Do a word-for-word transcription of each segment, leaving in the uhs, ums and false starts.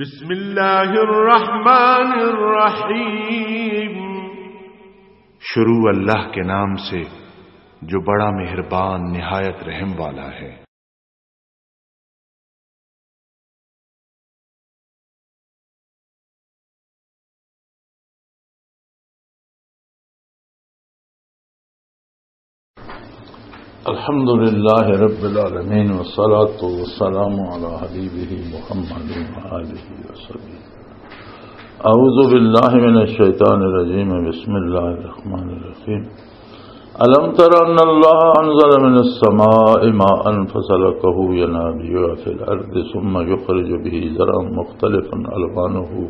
بسم اللہ الرحمن الرحیم۔ شروع اللہ کے نام سے جو بڑا مہربان نہایت رحم والا ہے۔ الحمد لله رب العالمين، والصلاة والسلام على حبيبه محمد وآله وصحبه. أعوذ بالله من الشيطان الرجيم. بسم الله الرحمن الرحيم. ألم تر أن الله أنزل من السماء ماء فسلكه ينابيع في الأرض ثم يخرج به زرعا مختلفا ألوانه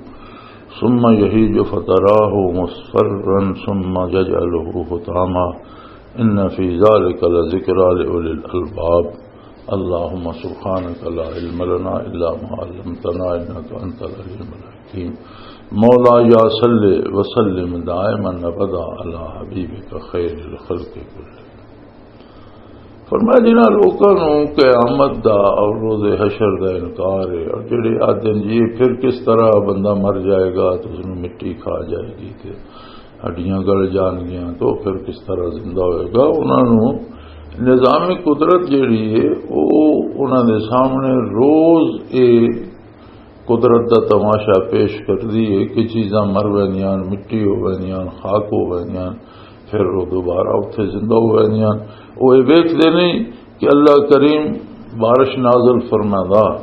ثم يهيج فتراه مصفرا ثم يجعله حطاما إن في ذلك لذكرى لأولي الألباب. اللهم سبحانك لا علم لنا إلا ما علمتنا إنك أنت العليم الحكيم. مولاي صل وسلم دائما أبدا على حبيبك خير الخلق كلهم. فرمایا، جنہاں لوکاں نوں قیامت دا اور روز حشر دا انکار ہے، اور جڑے آدھے نے، "جی، پھر کس طرح بندہ مر جائے گا تو اس نوں مٹی کھا جائے گی تے ہڈیاں گل جان گیاں، تو پھر کس طرح زندہ ہوئے گا؟" انہاں نوں نظام قدرت جڑی ہے، او انہاں دے سامنے روز اے قدرت دا تماشا پیش کردی ہے کہ چیزاں مر ویندیاں، مٹی ہو ویندیاں، خاک ہو ویندیاں، پھر وہ دوبارہ اتھے زندہ ہو ویندیاں۔ وہ یہ ویکھدے نہیں کہ اللہ کریم بارش نازل فرمادا،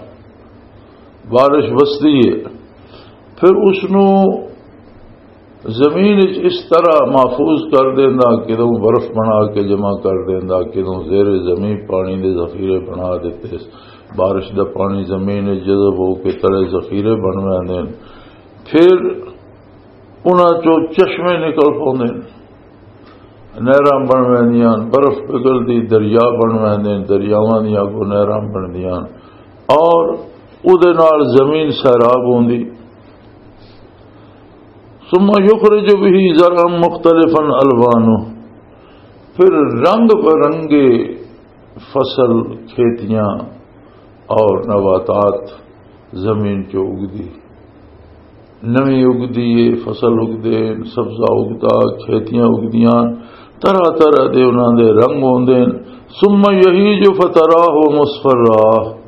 بارش وسدی ہے، پھر اس نوں زمین وچ اس طرح محفوظ کر دیندا، کدوں برف بنا کے جمع کر دیندا، کدوں زیر زمین پانی دے ذخیرے بنا دیتے، بارش دا پانی زمین وچ جذب ہو کے تلے ذخیرے بن ویندے نے۔ پھر انہاں چوں چشمے نکل پوندے نے، نہراں بن ویندیاں، برف پگھلدی دریا بن ویندے نے، دریاواں دیاں اگوں نہراں بندیاں اور اودے نال زمین سیراب ہوندی۔ ثم يخرج به زرعا مختلفا ألوانه، پھر رنگ برنگے فصل، کھیتیاں اور نباتات زمین چ اگدی، نویں اگدی ہے، فصل اگدے، سبزہ اگدا، کھیتیاں اگدیاں، طرح طرح دے انہاں دے رنگ ہوندے نے۔ ثم يهيج فتراه مصفرا،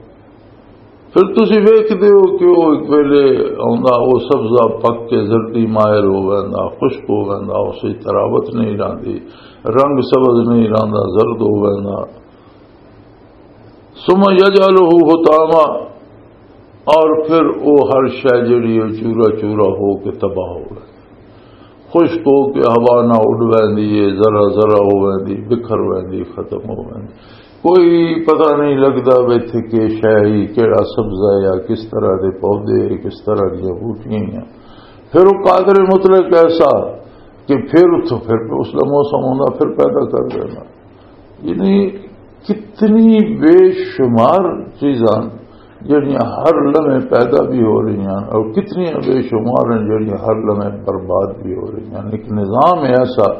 پھر تسی ویکھدے ہو کہ وہ ایک ویلے آندا، وہ سبزہ پک کے زردی مائل ہو ویندا، خشک ہو ویندا، اس وچ تراوت نہیں رہندی، رنگ سبز نہیں رہندا، زرد ہو ویندا۔ ثم يجعله حطاما، اور پھر وہ ہر شے جڑی ہے چورا چورا ہو کے تباہ ہو ویندی۔ خشک ہو کے ہوا نہ اڈ ویندی ہے، ذرا ذرا ہو ویندی، بکھر ویندی، ختم ہو ویندی۔ کوئی پتہ نہیں لگدا بھی اتھے کہ شے ہی، کیڑا سبزہ ہے یا کس طرح دے پودے، کس طرح دیاں بوٹیاں ہیں۔ پھر وہ قادر مطلق ایسا کہ پھر اتھوں پھر اس دا موسم ہوندا، پھر پیدا کر دینا۔ یعنی کتنی بے شمار چیزاں جڑیاں ہر لمحے پیدا بھی ہو رہی ہیں اور کتنی بے شمار ہیں جڑیاں ہر لمحے برباد بھی ہو رہی ہیں۔ ایک نظام ہے ایسا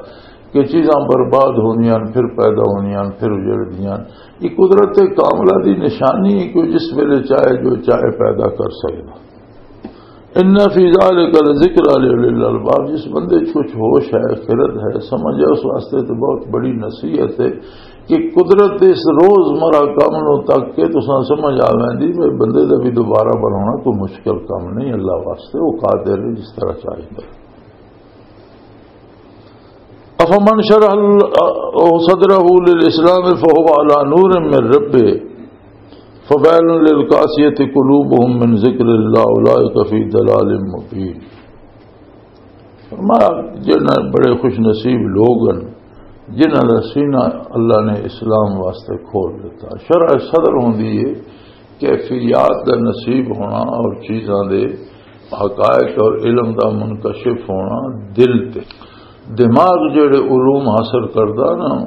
کہ چیزاں برباد ہوندیاں، پھر پیدا ہوندیاں، پھر اجڑدیاں۔ یہ قدرت کاملہ دی نشانی ہے کہ جس ویلے چاہے جو چاہے پیدا کر سکدا۔ ان فی ذلک لذکر لأولی الالباب، جس بندے چ کچھ ہوش ہے، خرد ہے، سمجھ ہے، اس واسطے تو بہت بڑی نصیحت ہے کہ قدرت دے اس روز مرہ کم نو تک کے تساں سمجھ آ ویندی، میرے بندے دا بھی دوبارہ بنانا کوئی مشکل کام نہیں، اللہ واسطے وہ قادر ہے جس طرح چاہیے۔ افمن شرح ال-، صدره للاسلام فهو على نور من ربه فويل للقاسية قلوبهم من ذكر الله أولئك في ضلال مبين۔ فرمایا، جنہاں بڑے خوش نصیب لوگ ہیں جنہاں دا سینہ اللہ نے اسلام واسطے کھول دیتا۔ شرح صدر ہوندی ہے کیفیات دا نصیب ہونا اور چیزاں دے حقائق اور علم دا منکشف ہونا دل تے۔ دماغ جڑے علوم حاصل کردا نا،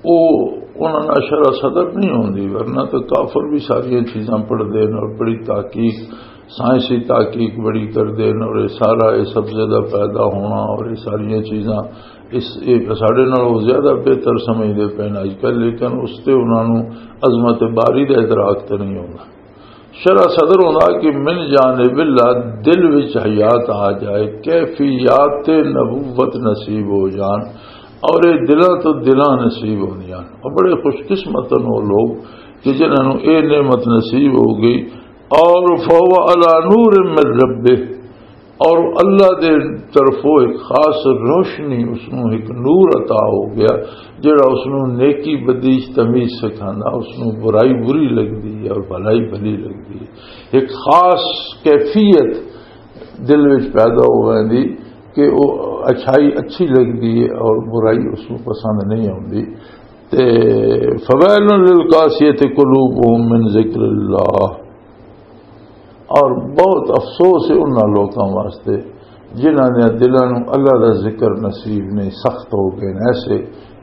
او انہاں نال شرح صدر نہیں ہوندی، ورنہ تو کافر بھی ساریاں چیزاں پڑھدے نے اور بڑی تحقیق، سائنسی تحقیق بڑی کردے نے، اور یہ سارا یہ سبزے دا پیدا ہونا اور یہ ساریاں چیزاں اس، یہ ساڈے نال وہ زیادہ بہتر سمجھدے پے نے اج کل، لیکن اس تے انہاں نوں عظمت باری دا ادراک تے نہیں ہوندا۔ شرح صدر ہوندا کہ من جانب اللہ، دل وچ حیات آ جائے، کیفیات نبوت نصیب ہو جان، اور یہ دلاں تو دلاں نصیب ہوندیاں۔ اور بڑے خوش قسمت ہیں وہ لوگ کہ جنہاں نوں یہ نعمت نصیب ہو گئی، اور فهو علی نور من ربہ، اور اللہ دے طرفوں ایک خاص روشنی، اس نوں ایک نور عطا ہو گیا، جڑا اس نوں نیکی بدی تمیز سکھاندا، اس نوں برائی بری لگدی ہے اور بھلائی بھلی لگدی ہے۔ ایک خاص کیفیت دل وچ پیدا ہو ویندی کہ وہ اچھائی اچھی لگدی ہے اور برائی اس نوں پسند نہیں آندی۔ تے فویل للقاسیۃ قلوبہم من ذکر اللہ، اور بہت افسوس ہے انہاں لوکاں واسطے جنہاں دے دلاں نوں اللہ دا ذکر نصیب نہیں، سخت ہو گئے نے ایسے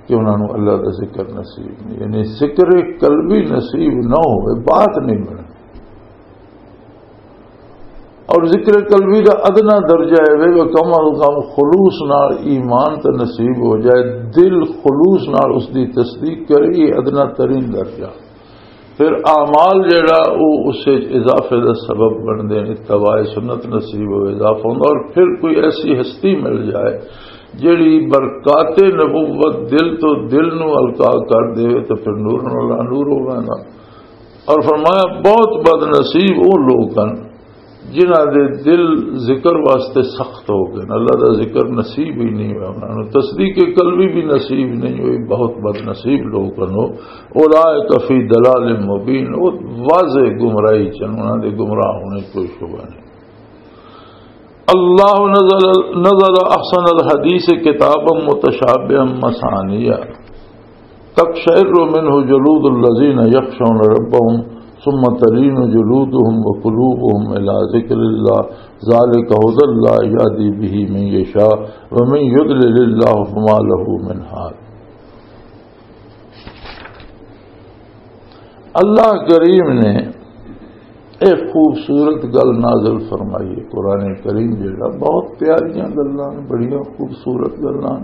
کہ انہاں نوں اللہ دا ذکر نصیب نہیں، یعنی ذکر قلبی نصیب نہ ہوئے، بات نہیں بنے۔ اور ذکر قلبی دا ادنا درجہ ہے وہ کم از کم خلوص نال ایمان تے نصیب ہو جائے، دل خلوص نال اس دی تصدیق کرے، یہ ادنا ترین درجہ۔ پھر اعمال جڑا وہ اس وچ اضافے دا سبب بن دے، اتباع سنت نصیب ہو، اضافہ ہوندا۔ اور پھر کوئی ایسی ہستی مل جائے جڑی برکات نبوت دل تو دل نو القا کر دے، تو پھر نور نال نور ہو ویندا۔ اور فرمایا، بہت بد نصیب وہ لوگ ہیں جنہاں دے دل ذکر واسطے سخت ہو گئے، اللہ دا ذکر نصیب ہی نہیں ہوا انہاں نوں، تصدیق قلبی بھی نصیب نہیں ہوئی، بہت بد نصیب لوگ ہیں۔ اولئک فی ضلال مبین، وہ واضح گمراہی چن، انہاں دے گمراہ ہونے کوئی شبہ نہیں۔ اللہ نزل، نزل احسن الحدیث کتابا متشابہا مثانیہ، تقشعر منه جلود الذین یخشون ربهم ثم تلین جلودهم وقلوبهم الی ذکر اللہ، ذالک هدی اللہ یهدی به من یشاء ومن یضلل اللہ فما له من هاد۔ اللہ کریم نے ایک خوبصورت گل نازل فرمائی ہے۔ قرآن کریم جڑا بہت پیاریاں گلاں، بڑیاں خوبصورت گلاں،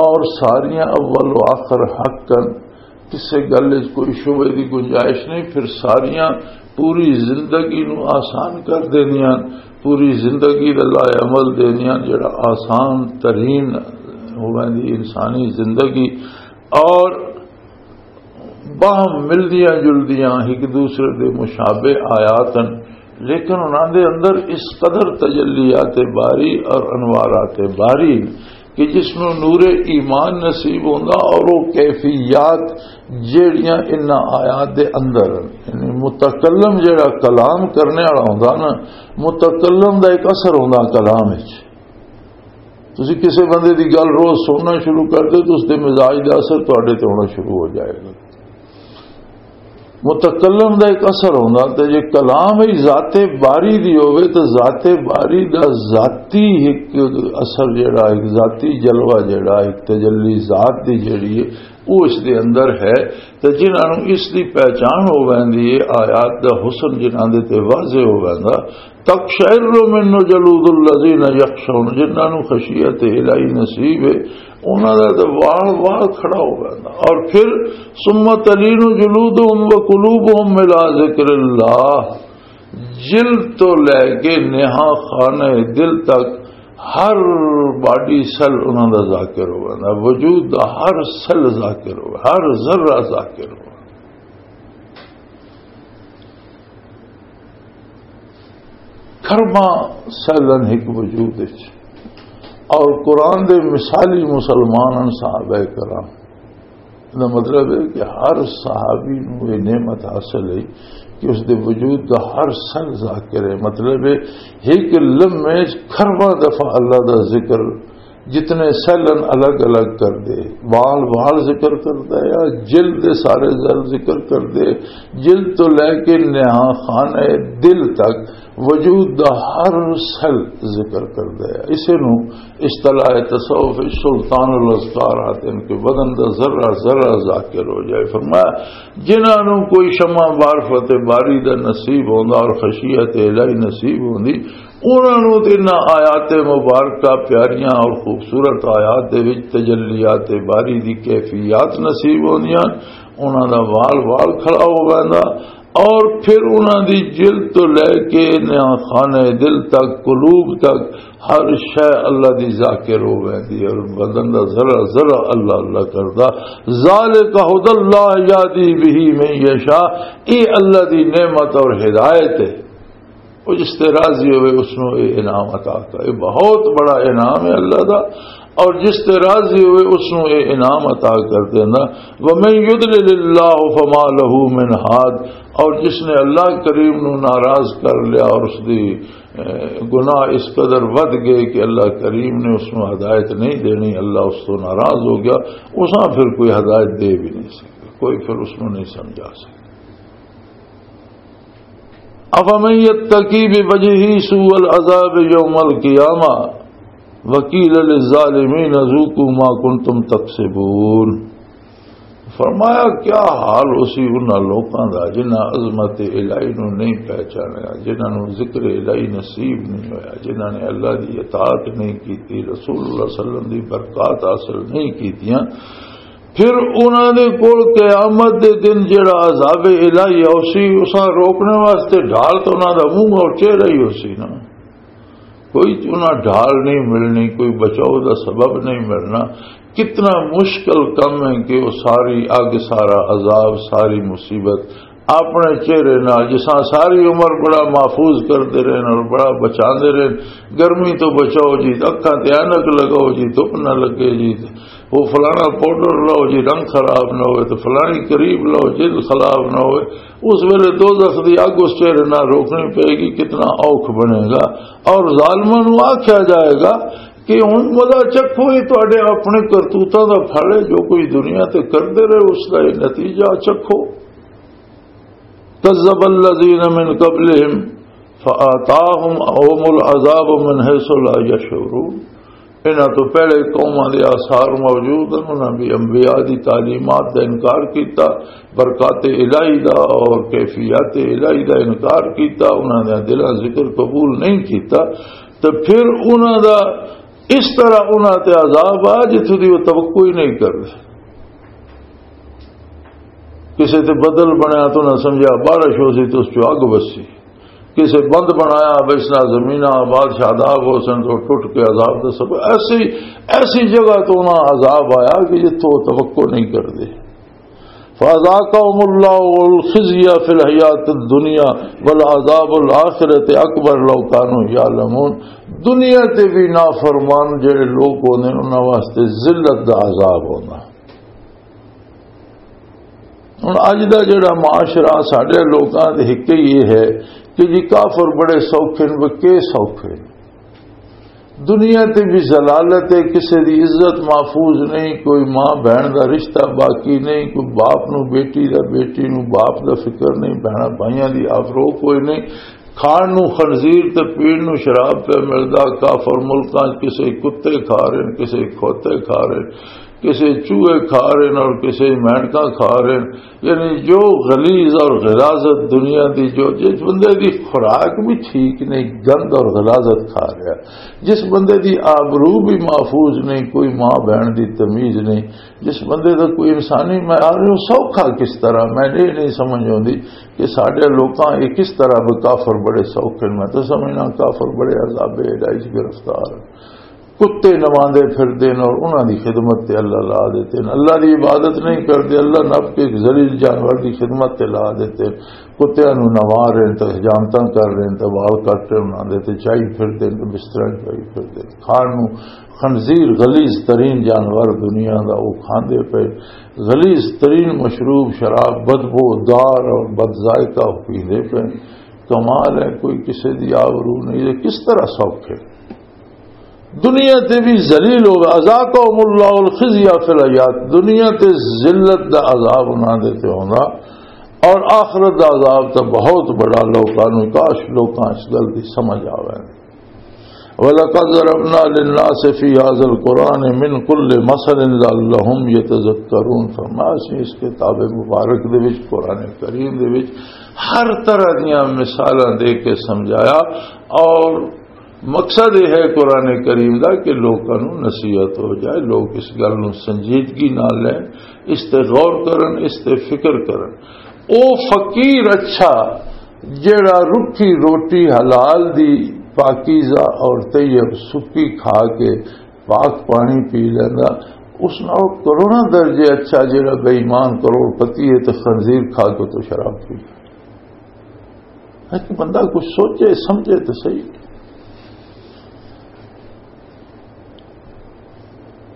اور ساریاں اول و آخر حق ہیں، کسے گل وچ کوئی شبہے دی گنجائش نہیں۔ پھر ساریاں پوری زندگی نو آسان کر دیندیاں، پوری زندگی دا لائے عمل دیندیاں، جڑا آسان ترین ہوندی انسانی زندگی۔ اور باہم ملدیاں جلدیاں، ایک دوسرے دے مشابہ آیات ہیں، لیکن انہاں دے اندر اس قدر تجلیات باری اور انوارات باری کہ جس نوں نور ایمان نصیب ہوندا اور وہ کیفیات جیڑیاں انہاں آیات دے اندر ہیں۔ یعنی متکلم جیڑا کلام کرنے والا ہوندا نا، متکلم دا ایک اثر ہوندا کلام وچ۔ تسی کسے بندے دی گل روز سننا شروع کر دے تو اس دے مزاج دا اثر تواڈے تے ہونا شروع ہو جائے گا۔ متکلم دا ایک اثر ہوندا، تے جے کلام ہی ذات باری دی ہووے تے ذات باری دا ذاتی ایک اثر جڑا، ایک ذاتی جلوہ جڑا، ایک تجلی ذات دی جڑی ہے، وہ اس دے اندر ہے۔ تے جنہاں نوں اس دی پہچان ہو ویندی ہے، آیات دا حسن جنہاں دے تے واضح ہو ویندا، تقشعر منه جلود الذین یخشون، جنہاں نوں خشیت الہی نصیب ہے، انہاں دا تے وال وال کھڑا ہو ویندا۔ اور پھر ثم تلین جلودهم وقلوبهم الی ذکر اللہ، جلد تو لے کے نہاں خانہ دل تک ہر باڈی سیل انہاں دا ذاکر ہو ویندا، وجود دا ہر سیل ذاکر ہو، ہر ذرہ ذاکر ہو۔ کھرباں سیلن ایک وجود وچ، اور قرآن دے مثالی مسلمان ہن صحابہ کرام۔ دا مطلب ہے کہ ہر صحابی نوں یہ نعمت حاصل ہے کہ اس دے وجود دا ہر سیل ذاکر ہے۔ مطلب ہے، ایک لمحے وچ کھرباں دفعہ اللہ دا ذکر، جتنے سیلن الگ الگ کر دے، وال وال ذکر کردا ہے، جلد دے سارے سیل ذکر کر دے، جلد تو لے کے نہاں خانہ دل تک وجود دا ہر سیل ذکر کردا ہے۔ اسے نوں اصطلاح تصوف وچ سلطان الاذکار آتے ہیں کہ بدن دا ذرہ ذرہ ذاکر ہو جائے۔ فرمایا، جنہاں نوں کوئی شمع معرفت باری دا نصیب ہوندا اور خشیت الہی نصیب ہوندی، انہاں نوں تے انہاں آیات مبارکہ پیاریاں اور خوبصورت آیات دے وچ تجلیات باری دی کیفیات نصیب ہوندیاں، انہاں دا وال وال کھڑا ہو ویندا۔ اور پھر انہاں دی جلد تو لے کے نیا خانہ دل تک، قلوب تک، ہر شے اللہ دی ذاکر ہو ویندی ہے، اور بدن دا ذرا ذرا اللہ اللہ کردا۔ ذالک ھدی اللہ یہدی بہ من یشاء، اے اللہ دی نعمت اور ہدایت ہے۔ وہ جس تے راضی ہوئے، اس نو اے انعام عطا کر، اے بہت بڑا انعام ہے اللہ دا۔ اور جس تے راضی ہوئے، اس نو اے انعام عطا کر دینا۔ ومن یضلل اللہ فما لہ من ھاد، اور جس نے اللہ کریم نو ناراض کر لیا اور اس دی، اے، گناہ اس قدر ودھ گئے کہ اللہ کریم نے اس نو ہدایت نہیں دینی، اللہ اس تو ناراض ہو گیا، اساں پھر کوئی ہدایت دے بھی نہیں سکتا، کوئی پھر اس نو نہیں سمجھا سکتا۔ افمن یتقی بوجہہ سوء العذاب یوم القیامہ وقیل للظالمین ذوقوا ما کنتم تکسبون۔ فرمایا، کیا حال اسی انہاں لوکاں دا جنہاں عظمت الہی نو نہیں پہچانیا، جنہاں نو ذکر الہی نصیب نہیں ہویا، جنہاں نے اللہ دی اطاعت نہیں کیتی، رسول اللہ صلی اللہ علیہ وسلم دی برکات حاصل نہیں کیتیاں، پھر انہاں دے کول قیامت دے دن جڑا عذاب الہی اوسی، اساں روکنے واسطے ڈھال تو انہاں دا منہ اور چہرہ ہی ہوسی نا۔ کوئی انہاں ڈھال نہیں ملنی، کوئی بچاؤ دا سبب نہیں ملنا۔ کتنا مشکل کم ہے کہ وہ ساری اگ، سارا عذاب، ساری مصیبت اپنے چہرے نال، جساں ساری عمر بڑا محفوظ کردے رہے اور بڑا بچاندے رہے، گرمی تو بچاؤ جی، اکھاں تے عینک لگاؤ جی، دھپ نہ لگے جی، وہ فلانا پاؤڈر لاؤ جی، رنگ خراب نہ ہوئے، تو فلانی کریم لاؤ، جلد خراب نہ ہوئے۔ اس ویلے دوزخ دی اگ اس چہرے نال روکنی پئے گی، کتنا اوکھ بنے گا۔ اور ظالماں نوں آکھیا جائے گا کہ ہن مزہ چکھو، یہ تہاڈے اپنے کرتوتاں دا پھل ہے، جو کچھ دنیا تے کردے رہے، اس دا یہ نتیجہ چکھو۔ کذب الذین من قبلہم فآتاہم العذاب من حیث لا یشعرون۔ انہاں تو پہلے قوماں دے آثار موجود ہیں، انہاں بھی انبیاء دی تعلیمات دا انکار کیتا، برکات الہی دا اور کیفیات الہی دا انکار کیتا، انہاں دے دلاں ذکر قبول نہیں کیتا، تے پھر انہاں دا اس طرح انہاں تے عذاب آ جتھوں دی وہ توقع ہی نہیں کردے۔ کسے تے بدل بنیا تو انہاں سمجھا بارش ہو سی تو اس چوں اگ وسی، کسے بند بنایا، اب اس نال زمیناں آباد شاداب ہو سن تو ٹوٹ کے عذاب دا سبب۔ ایسی، ایسی جگہ تو انہاں عذاب آیا کہ جتھوں توقع نہیں کردے۔ فَأَذَاقَهُمُ اللَّهُ الْخِزْيَ فِي الْحَيَاةِ الدُّنْيَا وَلَعَذَابُ الْآخِرَةِ أَكْبَرُ لَوْ كَانُوا يَعْلَمُونَ۔ دنیا تے بھی نافرمان جڑے لوگ ہوندے نے، انہاں واسطے ذلت دا عذاب ہونا۔ ہن اج دا جڑا معاشرہ ساڈے لوکاں دے ہک یہ ہے کہ جی کافر بڑے سوکھے نے، وہ کے سوکھے نے؟ دنیا تے بھی ذلالت ہے، کسے دی عزت محفوظ نہیں، کوئی ماں بہن دا رشتہ باقی نہیں، کوئی باپ نو بیٹی دا، بیٹی نو باپ دا فکر نہیں، بہناں بھائیاں دی آبرو کوئی نہیں، کھان نو خنزیر تے پین نو شراب پہ ملدا، کافر ملکاں چ کسے کتے کھا رہے ہیں، کسے کھوتے کھا رہے ہیں، کسے چوہے کھا رہے ہیں اور کسے مینڈکاں کھا رہے ہیں۔ یعنی جو غلیظ اور غلاظت دنیا دی، جو جس بندے دی خوراک بھی ٹھیک نہیں، گند اور غلاظت کھا رہا، جس بندے دی آبرو بھی محفوظ نہیں، کوئی ماں بہن دی تمیز نہیں، جس بندے دا کوئی انسانی معیار نہیں، وہ سوکھا کس طرح؟ میں یہ نہیں سمجھ آتی کہ ساڈے لوکاں یہ کس طرح بھی کافر بڑے سوکھے نے۔ میں تو سمجھنا کافر بڑے عذاب الہی چ گرفتار ہیں۔ کتے نواندے پھردے نے اور انہاں دی خدمت تے اللہ لا دیتے ہیں۔ اللہ دی عبادت نہیں کردے، اللہ نپ کے ایک ذلیل جانور دی خدمت تے لا دیتے ہیں۔ کتیاں نوں نوا رہے ہیں، تے حجامتاں کر رہے ہیں، تے وال کٹ رہے ہیں، انہاں دے تے چائی پھردے نے، بستراں چ چائی پھردے نے۔ کھان نوں خنزیر، غلیظ ترین جانور دنیا دا، وہ کھاندے پے۔ غلیظ ترین مشروب شراب، بدبو دار اور بد ذائقہ، وہ پیندے پے۔ کمال ہے، کوئی کسے دی آبرو نہیں، یہ کس طرح سوکھے؟ دنیا تے بھی ذلیل ہوگا۔ اذاقہم اللہ الخزی فی الحیات، دنیا تے ذلت دا عذاب انہاں دے تے ہوندا، اور آخرت دا عذاب تے بہت بڑا۔ لوکاں نوں، کاش لوکاں اس گل دی سمجھ آوے۔ وَلَقَدْ ضَرَبْنَا لِلنَّاسِ فِي هَذَا الْقُرْآنِ مِنْ كُلِّ مَثَلٍ لَعَلَّهُمْ يَتَذَكَّرُونَ۔ فرمایا، اسی اس کتاب مبارک دے وچ، قرآن کریم دے وچ ہر طرح دیاں مثالاں دے کے سمجھایا، اور مقصد یہ ہے قرآن کریم دا کہ لوکاں نوں نصیحت ہو جائے، لوگ اس گل نوں سنجیدگی نال لین، اس تے غور کرن، اس تے فکر کرن۔ او فقیر اچھا، جڑا رکھی روٹی حلال دی پاکیزہ اور طیب سکی کھا کے پاک پانی پی لیندا، اس نال کروڑاں درجے اچھا جڑا بے ایمان کروڑ پتی ہے تے خنزیر کھا کے تو شراب پی لیندا۔ ایک بندہ کچھ سوچے سمجھے تو صحیح۔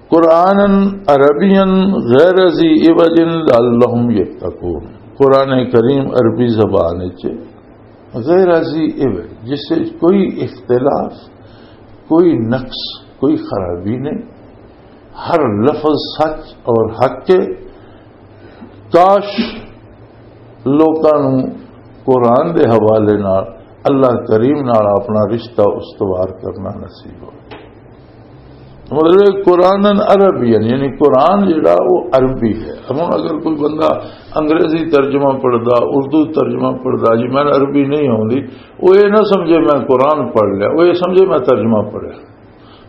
قرآناً عربیاً غیر ذی عوج لعلہم یتقون۔ قرآن کریم عربی زبان وچ غیر ذی عوج، جس سے کوئی اختلاف، کوئی نقص، کوئی خرابی نہیں، ہر لفظ سچ اور حق ہے۔ کاش لوکاں نوں قرآن دے حوالے نال اللہ کریم نال اپنا رشتہ استوار کرنا نصیب ہو۔ مطلب، قرآن عربی ہے، یعنی قرآن جڑا وہ عربی ہے۔ ہن اگر کوئی بندہ انگریزی ترجمہ پڑھدا، اردو ترجمہ پڑھدا، جی میں عربی نہیں آوندی، وہ یہ نہ سمجھے میں قرآن پڑھ لیا، وہ یہ سمجھے میں ترجمہ پڑھیا۔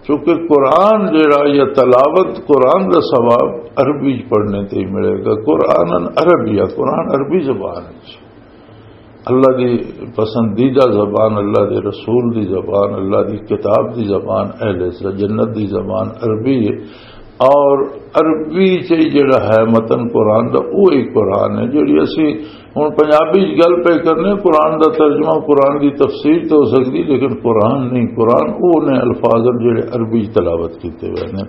کیونکہ قرآن جڑا یا تلاوت قرآن دا ثواب عربی پڑھنے تے ہی ملے گا۔ قرآن عربی ہے، قرآن عربی زبان ہے۔ اللہ دی پسندیدہ زبان، اللہ دے رسول دی زبان، اللہ دی کتاب دی زبان، اہل جنت دی زبان عربی ہے۔ اور عربی چ جڑا ہے متن قرآن دا، وہی قرآن ہے۔ جڑی اسی ہن پنجابی چ گل پہ کرنے، قرآن دا ترجمہ، قرآن دی تفسیر تو ہو سکدی، لیکن قرآن نہیں۔ قرآن وہ نے الفاظ ہیں جڑے عربی چ تلاوت کیتے ہوئے نے۔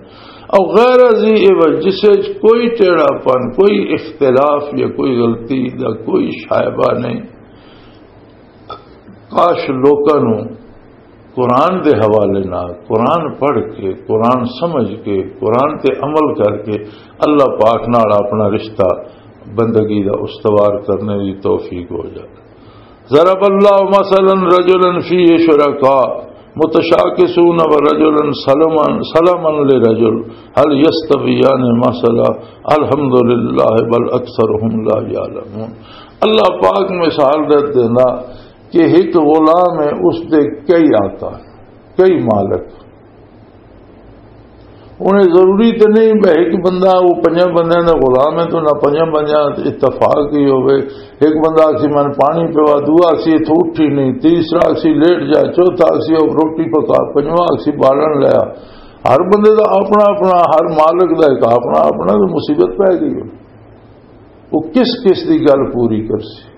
او غیر ذی عوج، جس وچ کوئی ٹیڑھا پن، کوئی اختلاف یا کوئی غلطی دا کوئی شائبہ نہیں۔ کاش لوکاں نوں قرآن دے حوالے نال، قرآن پڑھ کے، قرآن سمجھ کے، قرآن تے عمل کر کے اللہ پاک نال اپنا رشتہ بندگی دا استوار کرنے دی توفیق ہو جائے۔ ضرب اللہ مثلا رجلا فیہ شرکاء متشاکسون ورجلا سلما، سلما لرجل، هل یستویان مثلا، الحمدللہ بل اکثرهم لا یعلمون۔ اللہ پاک مثال دے دینا کہ ایک غلام ہے، اس دے کئی آقا، کئی مالک۔ انہیں ضروری تے نہیں بھئی ایک بندہ، وہ پنجاں بندیاں دا غلام ہے تو نہ پنجاں بندیاں تے اتفاق ہی ہوئے۔ ایک بندہ آکسی میں پانی پیوا، دوا آکسی اتھوں اٹھی نہیں، تیسرا آکسی لیٹ جا، چوتھا آکسی او روٹی پکا، پنجواں آکسی بالن لیا۔ ہر بندے دا اپنا اپنا، ہر مالک دا ایک اپنا اپنا، تو مصیبت پہ گئی ہو۔ وہ کس کس دی گل پوری کرسی؟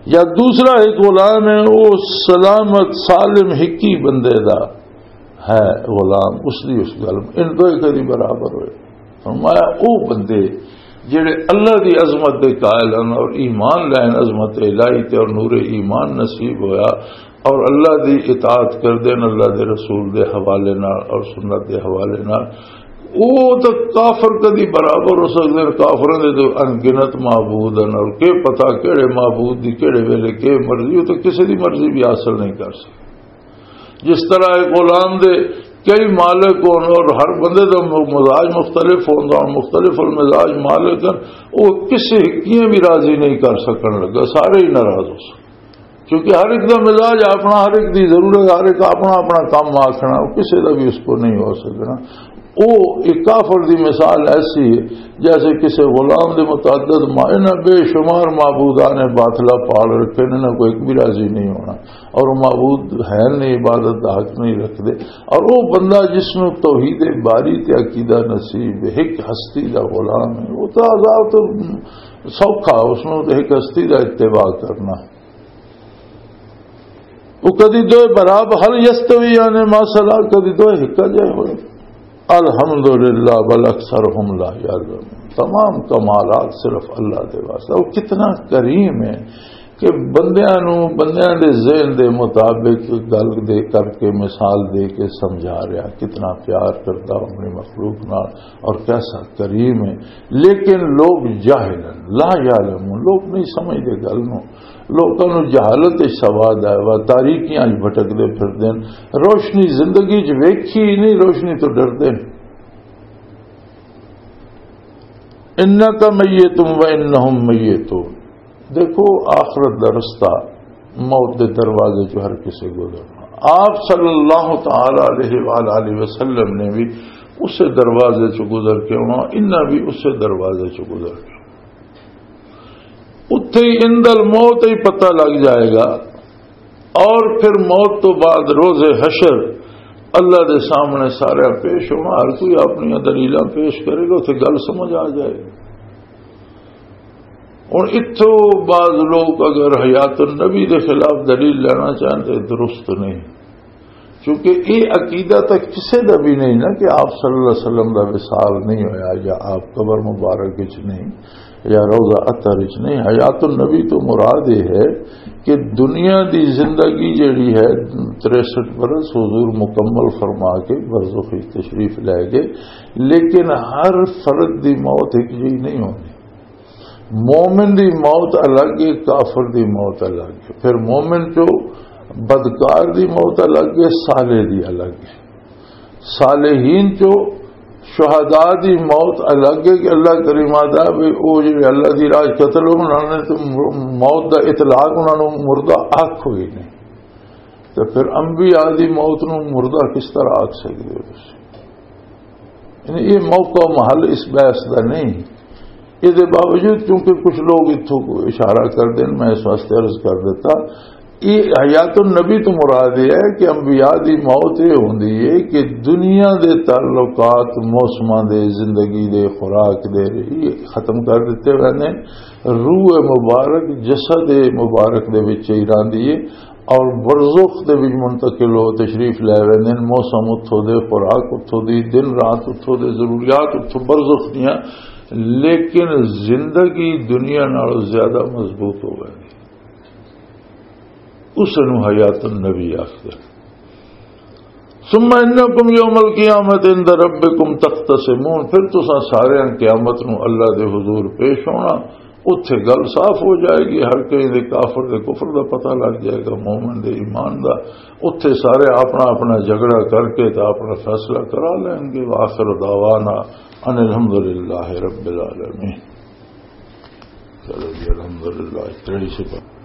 یا دوسرا ایک غلام ہے، وہ سلامت سالم ہکی بندے دا ہے غلام، اس دی اس گل ان دو کدی برابر ہوئے۔ فرمایا، او بندے جڑے اللہ دی عظمت دے قائل ہن اور ایمان لین عظمت الہی تے اور نور ایمان نصیب ہویا، اور اللہ دی اطاعت کردے نے، اللہ دے رسول دے حوالے نال اور سنت دے حوالے نال، او تے کافر کدی برابر ہو سکدے نے؟ کافراں دے تے ان گنت معبود ہن، اور کے پتہ کیڑے معبود دی کیڑے ویلے کے مرضی، او تے کسے دی مرضی بھی حاصل نہیں کر سکدے۔ جس طرح ایک غلام دے کئی مالک ہون اور ہر بندے دا م-، مزاج مختلف ہوندا، اور مختلف المزاج مالک ہن، او کسے کیاں بھی راضی نہیں کر سکن لگا، سارے ہی ناراض ہو سکدے۔ کیونکہ ہر ایک دا مزاج اپنا، ہر ایک دی ضرورت، ہر ایک اپنا اپنا کام آکھنا، وہ کسے دا بھی اس کو نہیں ہو سکنا۔ وہ ایک کافر دی مثال ایسی ہے، جیسے کسی غلام دے متعدد ما-، انہاں بے شمار معبودان باطلہ پال رکھے نے، انہاں کو ایک بھی راضی نہیں ہونا، اور وہ معبود ہے نہیں، عبادت دا حق نہیں رکھتے۔ اور وہ بندہ جس نو توحید باری تے عقیدہ نصیب ہے، ایک ہستی دا غلام ہے، وہ تو عذاب تو سوکھا، اس نو تو ایک ہستی دا اتباع کرنا۔ وہ کدی دوئے برابر، هل یستویان مثلا، کدی دوئے ہکا جائے ہوئے؟ الحمدللہ بل اکثرهم لا یعلمون۔ تمام کمالات صرف اللہ دے واسطے۔ وہ کتنا کریم ہے کہ بندیاں نو، بندیاں دے ذہن دے مطابق گل دے کر کے، مثال دے کے سمجھا رہا، کتنا پیار کرتا اپنی مخلوق نال اور کیسا کریم ہے۔ لیکن لوگ جاہل ہیں، لا یعلمون، لوگ نہیں سمجھتے گل نو۔ لوکاں نوں جہالت وچ سوا دا ہے، وہ تاریکیاں وچ بھٹکدے پھردے نے، روشنی زندگی وچ ویکھی ہی نہیں، روشنی تو ڈردے نے۔ انک میت و انہم میتون۔ دیکھو، آخرت دا رستہ موت دے دروازے چوں ہر کسے گزرنا۔ آپ صلی اللہ تعالی علیہ وآلہ وسلم نے بھی اسے دروازے چوں گزر کے آنا، انہاں بھی اسے دروازے چوں گزر کے آنا۔ وہ تے عند الموت ہی پتہ لگ جائے گا۔ اور پھر موت تو بعد روز حشر اللہ دے سامنے سارا پیش ہونا، ہر کوئی اپنی دلیلاں پیش کرے گا، اتنے گل سمجھ آ جائے گی۔ ہن اتھوں بعض لوگ اگر حیات النبی دے خلاف دلیل لینا چاہن تو درست نہیں، کیونکہ یہ عقیدہ تو کسے دا بھی نہیں نا کہ آپ صلی اللہ علیہ وسلم دا وصال نہیں ہویا یا آپ قبر مبارک وچ نہیں یا روضہ اطہر وچ نہیں۔ حیات النبی تو مراد یہ ہے کہ دنیا دی زندگی جڑی ہے، تریسٹھ برس حضور مکمل فرما کے برزخ وچ تشریف لے گئے، لیکن ہر فرد دی موت ایک جی نہیں ہونی۔ مومن دی موت الگ ہے، کافر دی موت الگ ہے۔ پھر مومن چو بدکار دی موت الگ ہے، صالح دی الگ ہے۔ صالحین چو شہداء دی موت الگ ہے کہ اللہ کریم آتا بھی او جڑے اللہ دی راہ قتل ہو، انہاں نے تو موت دا اطلاق انہاں نوں مردہ آکھ ہوئی نہیں۔ تو پھر انبیاء دی موت نوں مردہ کس طرح آکھ سکدے ہو تسی؟ یعنی یہ موقع و محل اس بحث دا نہیں۔ یہ دے باوجود کیونکہ کچھ لوگ اتھوں کو اشارہ کر دین، میں اس واسطے عرض کر دیتا، یہ حیات النبی تو مراد یہ ہے کہ انبیاء دی موت یہ ہوندی ہے کہ دنیا دے تعلقات، موسماں دے، زندگی دے، خوراک دے، یہ ختم کر دیتے ہوئے نے۔ روح مبارک جسد مبارک دے وچ ہی رہندی ہے اور برزخ دے وچ منتقل ہو، تشریف لے ویندے نے۔ موسم اتھوں دے، خوراک اتھوں دی، دن رات اتھوں دے، ضروریات اتھوں برزخ دیاں، لیکن زندگی دنیا نالوں زیادہ مضبوط ہو ویندی۔ اس نوں حیات النبی آخدے۔ ثم انکم یوم القیامت عند ربکم تختصمون، پھر تساں سارے قیامت نوں اللہ دے حضور پیش ہونا، اتھے گل صاف ہو جائے گی، ہر کہیں دے کافر دے کفر دا پتہ لگ جائے گا، مومن دے ایمان دا۔ اتھے سارے اپنا اپنا جھگڑا کر کے تے اپنا فیصلہ کرا لین گے۔ وآخر دعوانا ان الحمدللہ رب العالمین۔ چلو جی، الحمدللہ، اتنا ہی سفر۔